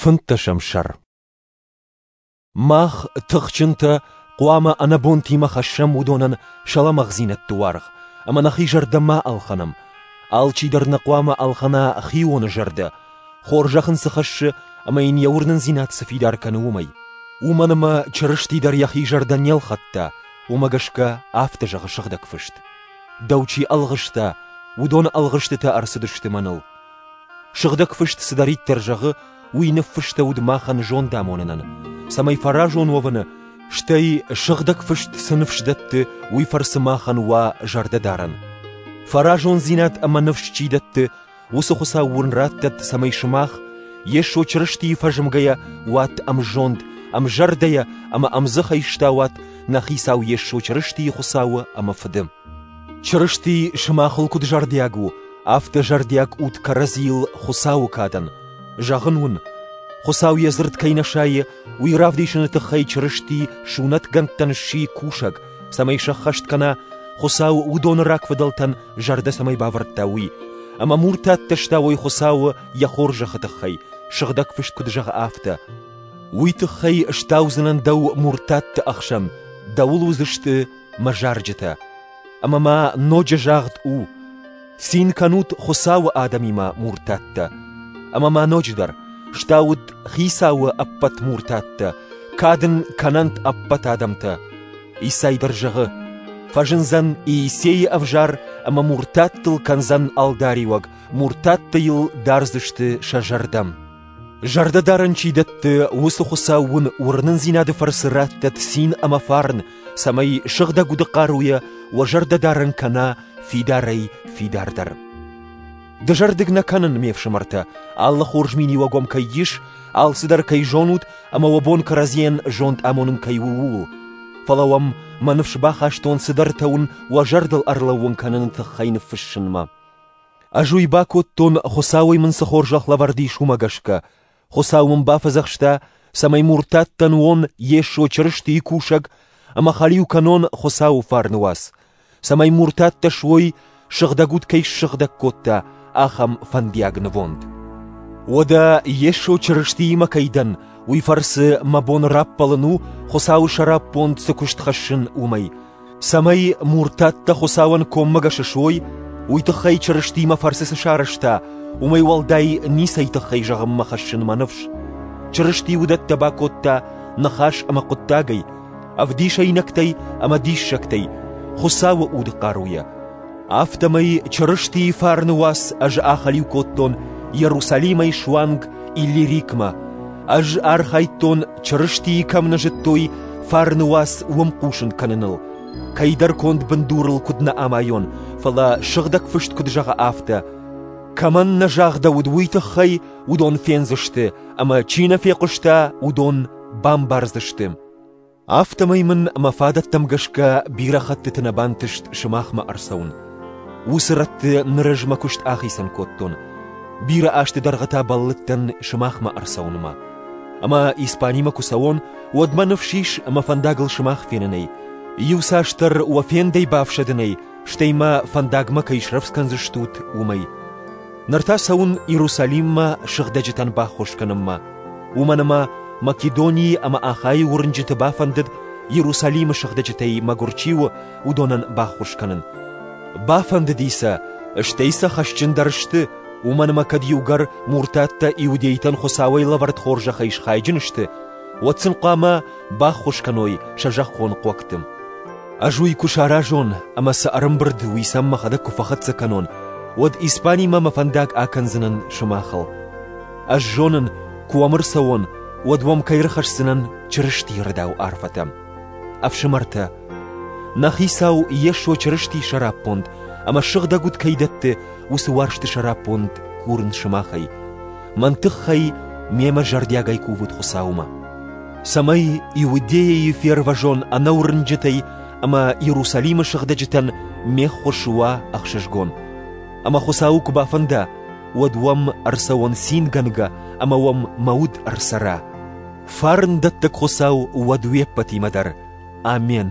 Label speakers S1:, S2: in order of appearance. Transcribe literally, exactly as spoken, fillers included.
S1: Фынддӕсӕм сӕр. Мах, тыхджынтӕ, хъуамӕ ӕнӕбонтимӕ хӕссӕм уыдонӕн сӕ лӕмӕгъдзинӕдты уаргъ, ӕмӕ нӕхи зӕрдӕ ма ӕлхӕнӕм. Алчидӕр нӕ хъуамӕ ӕлхӕна хионы зӕрдӕ, хорзӕх ын цы хӕссы ӕмӕ йын йӕ уырнындзинад цы фидар кӕны, уымӕй. Уымӕн ӕмӕ Чырысти дӕр йӕхи зӕрдӕ не лхӕдта, уымӕ гӕсгӕ афтӕ зӕгъы Сыгъдӕг Фыст: Дӕу чи ӕлгъыста, уыдоны ӕлгъыстытӕ ӕрцыдысты мӕныл. Сыгъдӕг Фыст цыдӕриддӕр зӕгъы, уый ныффыстӕуыд махӕн зондамонынӕн, цӕмӕй фӕразон уӕвыны, стӕй Сыгъдӕг Фыст цы ныфс дӕтты, уый фӕрцы махӕн уа зӕрдӕдарӕн. Фӕразондзинад ӕмӕ ныфс чи дӕтты, уыцы Хуыцау уын раттӕд, цӕмӕй сымах, Йесо Чырыстийы фӕзмгӕйӕ, уат ӕмзонд, ӕмзӕрдӕйӕ ӕмӕ ӕмдзыхӕй стауат нӕ Хицау Йесо Чырыстийы Хуыцауы ӕмӕ Фыды. Чырысти сымахыл куыд зӕрдиаг у, афтӕ зӕрдиаг ут кӕрӕдзийыл Хуыцауы кадӕн. Зӕгъын уын, Хуыцау йӕ дзырд кӕй нӕ сайы, уый равдисыны тыххӕй Чырысти сунӕтгӕндтӕн сси кусӕг, цӕмӕй сӕххӕст кӕна, Хуыцау уыдоны рагфыдӕлтӕн зӕрдӕ цӕмӕй бавӕрдта, уый, ӕмӕ муртаттӕ стауой Хуыцауы йӕ хорзӕхы тыххӕй, Сыгъдӕг Фыст куыд зӕгъы, афтӕ: Уый тыххӕй стаудзынӕн дӕу муртатты ӕхсӕн, дӕуыл уыдзысты мӕ зарджытӕ. Ӕмӕ ма ноджы загъд у: цин кӕнут Хуыцауы адӕмимӕ, муртаттӕ. Ӕмӕ ма ноджыдӕр: стаут Хицауы ӕппӕт муртаттӕ, кад ын кӕнӕнт ӕппӕт адӕмтӕ. Исай дӕр зӕгъы: фӕзындзӕн Иисейы ӕвзар ӕмӕ муртаттыл кӕндзӕн ӕлдариуӕг, муртаттӕ йыл дардзысты сӕ зӕрдӕ. Зӕрдӕдарӕн чи дӕтты, уыцы Хуыцау уын уырнындзинады фӕрцы раттӕд цин ӕмӕ фарн, цӕмӕй Сыгъдӕг Уды хъаруйӕ уӕ зӕрдӕдарӕн кӕна фидарӕй фидардӕр. Дызӕрдыг нӕ кӕнын, ме фсымӕртӕ, алы хорз миниуӕг уӕм кӕй ис, алцыдӕр кӕй зонут ӕмӕ уӕ бон кӕрӕдзийӕн зонд амонын кӕй у, ууыл. Фӕлӕ уӕм мӕ ныфс бахастон цыдӕртӕ уын уӕ зӕрдыл ӕрлӕууын кӕныны тыххӕй ныффыссынмӕ. Ӕз уый бакодтон, Хуыцауӕй мын цы хорзӕх лӕвӕрд ис, уымӕ гӕсгӕ. Хуыцау мын бафӕдзӕхста, цӕмӕй муртаттӕн уон Йесо Чырыстийы кусӕг ӕмӕ хӕлиу кӕнон Хуыцауы фарны уац, цӕмӕй муртаттӕ суой, Сыгъдӕг Уд кӕй ссыгъдӕг кодта, ахӕм фӕндиаг нывонд. Уӕдӕ Йесо Чырыстиимӕ кӕй дӕн, уый фӕрцы мӕ бон раппӕлын у, Хуыцауы сӕраппонд цы куыст хӕссын, уымӕй. Цӕмӕй муртаттӕ Хуыцауӕн коммӕгӕс суой, уый тыххӕй Чырысти мӕ фӕрцы цы сарӕзта, уымӕй уӕлдай ницӕй тыххӕй зӕгъынмӕ хӕссын мӕ ныфс. Чырысти уыдӕттӕ бакодта ныхас ӕмӕ хъуыддагӕй, ӕвдисӕйнӕгтӕй ӕмӕ диссӕгтӕй, Хуыцауы уды хъаруйӕ. Афтӕмӕй Чырыстийы фарны уац ӕз ахӕлиу кодтон Иерусалимӕй суанг Иллирикмӕ. Ӕз архайдтон, Чырыстийы кӕм нӕ зыдтой, фарны уац уым хъусын кӕныныл. Кӕйдӕр конд бындурыл куыд нӕ амайон, фӕлӕ Сыгъдӕг Фыст куыд зӕгъы, афтӕ: кӕмӕн нӕ загъдӕуыд, уый тыххӕй уыдон фендзысты, ӕмӕ чи нӕ фехъуыста, уыдон бамбардзысты. Афтӕмӕй мын мӕ фадӕттӕм гӕсгӕ бирӕ хӕттыты нӕ бантыст сымахмӕ ӕрцӕуын. Уыцы рӕтты ныр ӕз мӕ куыст ахицӕн кодтон. Бирӕ азты дӕргъы та бӕллыдтӕн сымахмӕ ӕрцӕуынмӕ. Ӕмӕ Испанимӕ куы цӕуон, уӕд мӕ ныфс ис мӕ фӕндагыл сымах фенынӕй. Иуцасдӕр уӕ фендӕй бафсӕдынӕй, стӕй мӕ фӕндагмӕ кӕй срӕвдз кӕндзыстут, уымӕй. Ныр та цӕуын Иерусалиммӕ сыгъдӕджытӕн баххуыс кӕнынмӕ. Уымӕн ӕмӕ Македонийы ӕмӕ Ахайы уырнджыты бафӕндыд Иерусалимы сыгъдӕджытӕй мӕгуыр чи у, уыдонӕн баххуыс кӕнын. Бафӕндыди сӕ, стӕй сӕ хӕсджындӕр сты, уымӕн ӕмӕ кӕд иугӕр муртаттӕ иудейтӕн Хуыцауӕй лӕвӕрд хорзӕхӕй схайджын сты, уӕд сын хъуамӕ баххуыс кӕной сӕ зӕххон хъуӕгты. Ӕз уый куы саразон ӕмӕ цы ӕрӕмбырд, уый сӕм мӕхӕдӕг куы фӕхӕццӕ кӕнон, уӕд Испанимӕ мӕ фӕндаг акӕндзынӕн сымахыл. Ӕз зонын, куы уӕм ӕрцӕуон, уӕд уӕм кӕй ӕрхӕсдзынӕн Чырыстийы рӕдау арфӕтӕ. Ӕфсымӕртӕ, нӕ Хицау Йесо Чырыстийы сӕраппонд ӕмӕ Сыгъдӕг Уд кӕй дӕтты, уыцы уарзты сӕраппонд курын сымахӕй. Мӕн тыххӕй мемӕ зӕрдиагӕй кувут Хуыцаумӕ, цӕмӕй Иудейӕйы фервӕзон ӕнӕуырнджытӕй ӕмӕ Иерусалимы сыгъдӕджытӕн ме ххуыс уа ӕхсызгон. Ӕмӕ Хуыцауы куы бафӕнда, уӕд уӕм ӕрцӕуон цингӕнгӕ ӕмӕ уӕм мӕ уд ӕрцӕра. Фарн дӕттӕг Хуыцау уӕд уе ппӕтимӕ дӕр. Амен.